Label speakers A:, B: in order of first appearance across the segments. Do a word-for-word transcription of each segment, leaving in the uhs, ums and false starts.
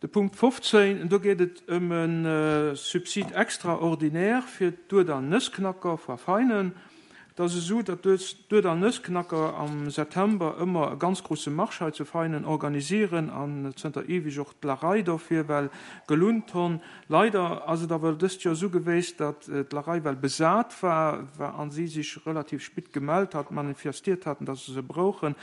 A: De Punkt fofzéin, do geet et ëm e Subside extraordinaire fir d'Uerdall Nëssknacker vu Veinen. Et ass esou, datt d'Uerdall Nëssknacker am September ëmmer e ganz grouse Marsch hei zu Veinen organisieren an zënter eweg och d'Larei dofir well gelunnt honn. Leider ass et awer dëst Joer esou geweest, datt d'Larei well besat war a si sech relativ spit gemellt hat, manifestiert haten, datt se se brouchen.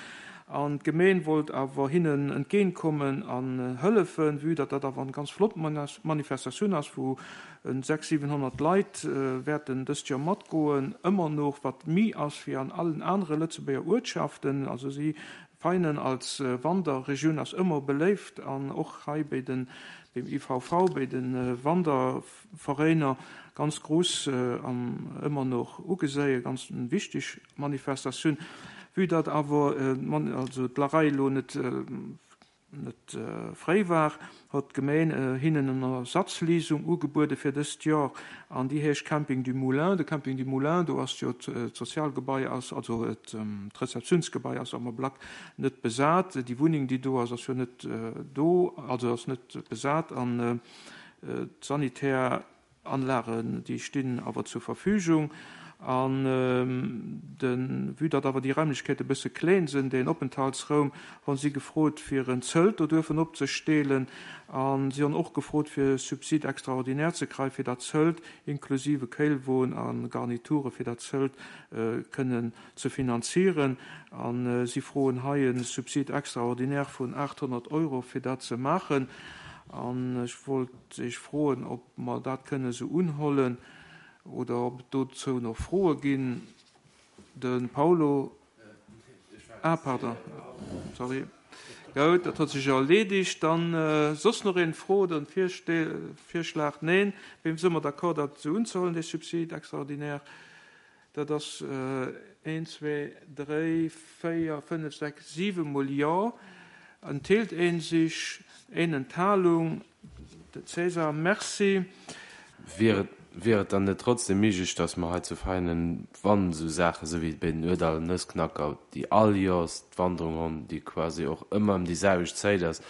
A: An d'Gemeen wollt awer hinnen entgéintkommen an hëllefen, vue datt dat awer en ganz flott Manifestatioun ass, wou en sechs, siwenhonnert Leit wäerten dëst Joer matgoen, ëmmer noch wat mi ass wéi an allen anere Lëtzebuerger Uertschaften. Also si Veinen als Wanderregioun ass ëmmer beléift an och hei béi den, beim I V V, béi de Wanderveräiner ganz grouss an ëmmer noch ugeséie, ganz wichteg Manifestatioun. Vue datt awer also d'Larei elo net net fréi war, hott d'Gemeen hinnen en Ersatzleesung ugebuede fir dëst Joer an déi heescht Camping du Moulin. De Camping du Moulin, do ass jo d'Sozialgebai ass, also d'Rezeptiounsgebai ass am Ablack net besat. Déi Wunneng, déi do ass, ass jo net do, also ass net besat an d'sanitär Anlagen, déi stinn awer zur Verfügung. An de vue datt awer déi Raimlechkeete bësse kleen sinn, deen Openthaltsraum, hu si gefrot, fir en Zëlt do duerfen opzestelen. A si hunn och gefrot, fir Subside extraordinaire ze kréien, fir dat Zëlt inklusive Kéilwon a Garniture fir dat Zëlt kënnen ze finanzieren. A si froen hei e Subside extraordinaire vun aathonnert Euro, fir dat ze maachen. An ech wollt Iech froen, ob mer dat kënne sou unhollen oder ob et dozou nach Froe ginn. De Paulo. Ah, pardon. Sorry. Goud, dat huet sech erledigt. Dann soss nach een Fro oder en Virschlag? Neen. Wem si mer d'accord, dat sou unzehuelen, dee Subside extraordinaire? Dat ass een, zwee, dréi, véier, fënnef, sechs, siwe mol Jo. Enthält een sech? Een Enthalung. De César. Merci.
B: Wier et, wier et dann net trotzdem méiglech, dass mer hei zu Veinen, wann esou Saache sou wéi bei den Uerdall Nëssknacker, déi all Joers d'Wanderung hunn, déi quasi och ëmmer ëm déi selwecht Zäit ass,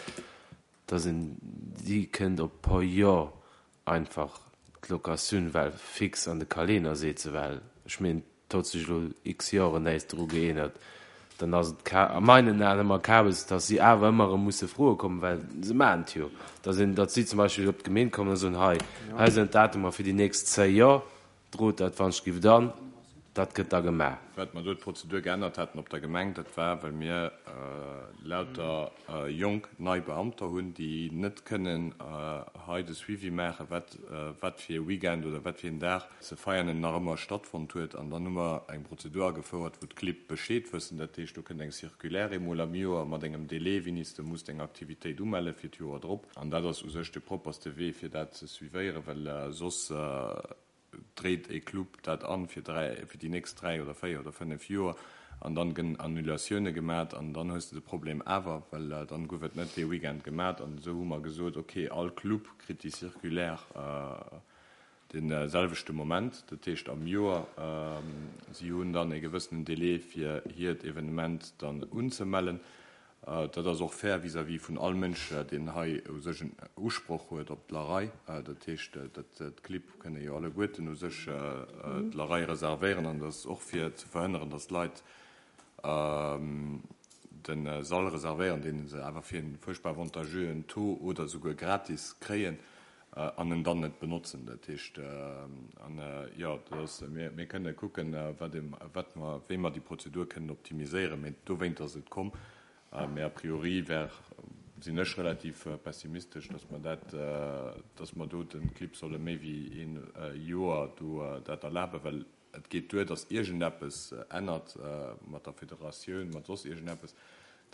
B: dass een déi kënnt op pro Joer einfach d'Locatioun well fix an de Kalenner setzen, well ech mengen, et huet sech elo x Joren näischt dru geännert, dann ass et a meinen Aen ëmmer Kabes, dass si awer ëmmer erëm musse froe kommen, well se maachen et jo, dass een, datt si zum Beispill op d'Gemeen kommen a soen, hei, hei sinn d'Datumer fir déi nächst zéi Joer, drot dat wann ech giff dann, dat gëtt da gemaach.
C: Wat mer do d'Prozedur geännert haten op der Gemeng, dat war, well mir lauter jonk nei Beamter hunn, déi net kënnen hei de Suivi maachen, wat wat fir e Weekend oder wat fir een Dag ze feiern nach ëmmer stattfonnt huet. An dann hu mer eng Prozedur agefouert, wou d'Clibb Bescheed wëssen. Dat heescht, do kënnt eng Circulaire eemol am Joer mat engem Délai, wéini s de muss deng Aktivitéit umelle fir d'Joer drop. An dat ass u sech de propperste Wee, fir dat ze suivéieren, well soss dréit e Club dat an fir dräi, fir déi nächst dräi oder véier oder fënnef Joer an dann gënn Annulatioune gemat an dann hues de de Problem awer, well dann gouf et net dee Weekend gemat. An esou hu mer gesot, okay, all Club kritt déi Circulaire de selwechte Moment, dat heescht am Joer. Si hunn dann e gewëssenen Délai fir hiert Evenement dann unzemellen. Dat ass och fair vis-à-vis vun all Mënsch, deen hei u sech en Usproch huet op d'Larei. Dat heescht, dat d'Clibb kënne jo alleguerten u sech d'Larei reservéieren an dat ass och fir ze verhënneren, datt d'Leit de Sall reservéieren, dee se awer fir e fuerchtbar avantageuxen Taux oder souguer gratis kréien an en dann net benotzen. Dat heescht, an jo, dat ass, mir, mir kënne kucken, wat ee, wat mer, wéi mer déi Prozedur kënnen optimiséieren, mee dowéint ass et komm. Mee a priori wär, sinn ech relativ pessimistesch, dass mer dat, dass mer do de Clibb solle méi wéi een Joer do dat erlaben, well et geet duer, dass iergendeppes ännert mat der Federatioun, mat soss iergendeppes,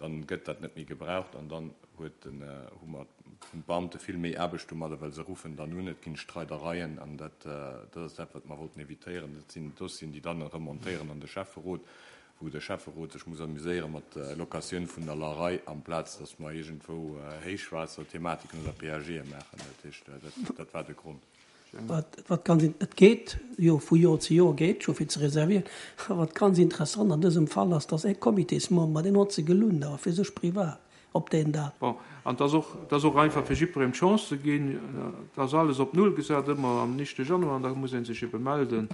C: dann gëtt dat net méi gebraucht an dann huet den, hu mer, hunn d'Beamte vill méi Aarbecht domadder, well se ruffen dann un, et ginn Streidereien an dat, dat ass dat, wat mer wollten évitéieren. Dat sinn Dossieren, déi dann remontéieren an de Schäfferot, wou de Schäfferot sech muss amuséiere mat Locatioun vun der Larei, amplaz datt mer iergendwou Héichwaasserthematiken oder P A G'e maachen. Dat heescht, dat, dat war de Grond.
D: Wat, wat ganz, et geet jo vu Joer zu Joer geet scho fir ze reservieren. Wat ganz interessant an dësem Fall ass, dass e Comitésmember, deen huet se gelunnt, awer fir sech privat. op deen Datum.
A: Bon, an et ass och, et ass och einfach fir jiddwerem d'Chance ze ginn, et ass alles op Null gesat ëmmer am éischte Januar an da muss ee sech ebe melden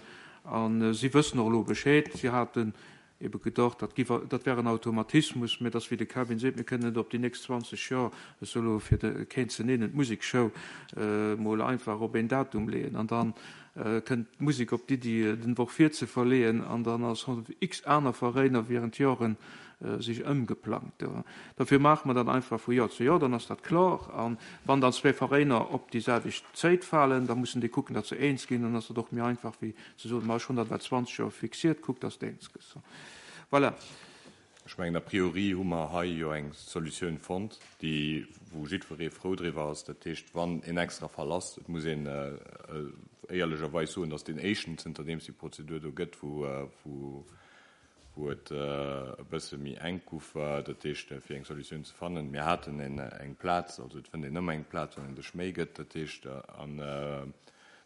A: a si wëssen och elo Bescheed. Si haten ebe gedacht, dat giff, dat wär en Automatismus, mä et ass wéi de Kevin seet, mir kënnen net op déi nächst zwanzeg Joer, ech soe elo fir de keen ze nennen, d'Musekshow mol einfach op een Datum leeën an dann kënnt d'Musek op d'Iddi, den Woch vir ze verleeën an dann ass x aner Veräiner während Joren sech ëmgeplangt. Dofir maache mer dat einfach vu Joer zu Joer, dann ass dat kloer. A wann dann zwee Veräiner op déi selwecht Zéit falen, da mussen déi kucken, datt se eens ginn. Dann ass dat och méi einfach wéi ze soen, ma ech hunn dat well zwanzeg Joer fixiert, kuck, datt s de eens gëss. Voilà.
C: Ech mengen, a priori hu mer hei jo eng Solutioun fonnt, déi, wou jiddweree frou driwwer ass. Dat heescht, wann en extra Fall ass, et muss een éierlecherweis soen, dass deen éischten, zënterdeems déi Prozedur do gëtt, wou, wou, wou et e bësse méi enk guff, dat heescht, fir eng Solutioun ze fannen. Mir haten en, eng Plaz, also et fënnt een ëmmer eng Plaz, wann een sech Méi gëtt. Dat heescht, an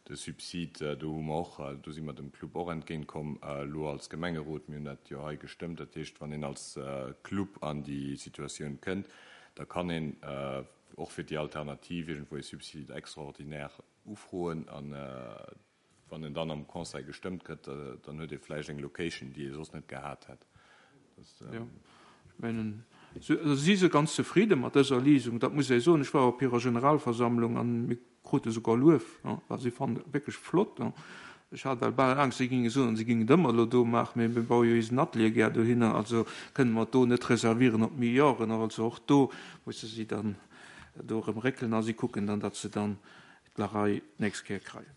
C: de Subsid, do hu mer och, do si mer dem Club och entgéint komm elo als Gemengerot. Mir hunn dat jo hei gestëmmt. Dat heescht, wann een als Club an déi Situatioun kënnt, da kann een och fir déi Alternativ iergendwou ee Subside extraordinaire ufroen. A wann en dann am Conseil gestëmmt gëtt, dann huet ee vläicht eng Location, déi ee soss net gehat hätt.
A: Jo, ech mengen, si si ganz zefridde mat dëser Léisung, dat muss ee soen. Ech war op hirer Generalversammlung an mir krute souguer Luef, well si fannen et wierklech flott. Ech hat well bal Angscht, si géinge soen, si géingen et ëmmer elo do maachen, mee mir baue jo eisen Atelier gär dohinner, also kënne mer et do net reservieren op méi Joren. Also och do musse si dann do erëm réckelen a si kucken dann, datt se dann d'Larei d'nächst Kéier kreien.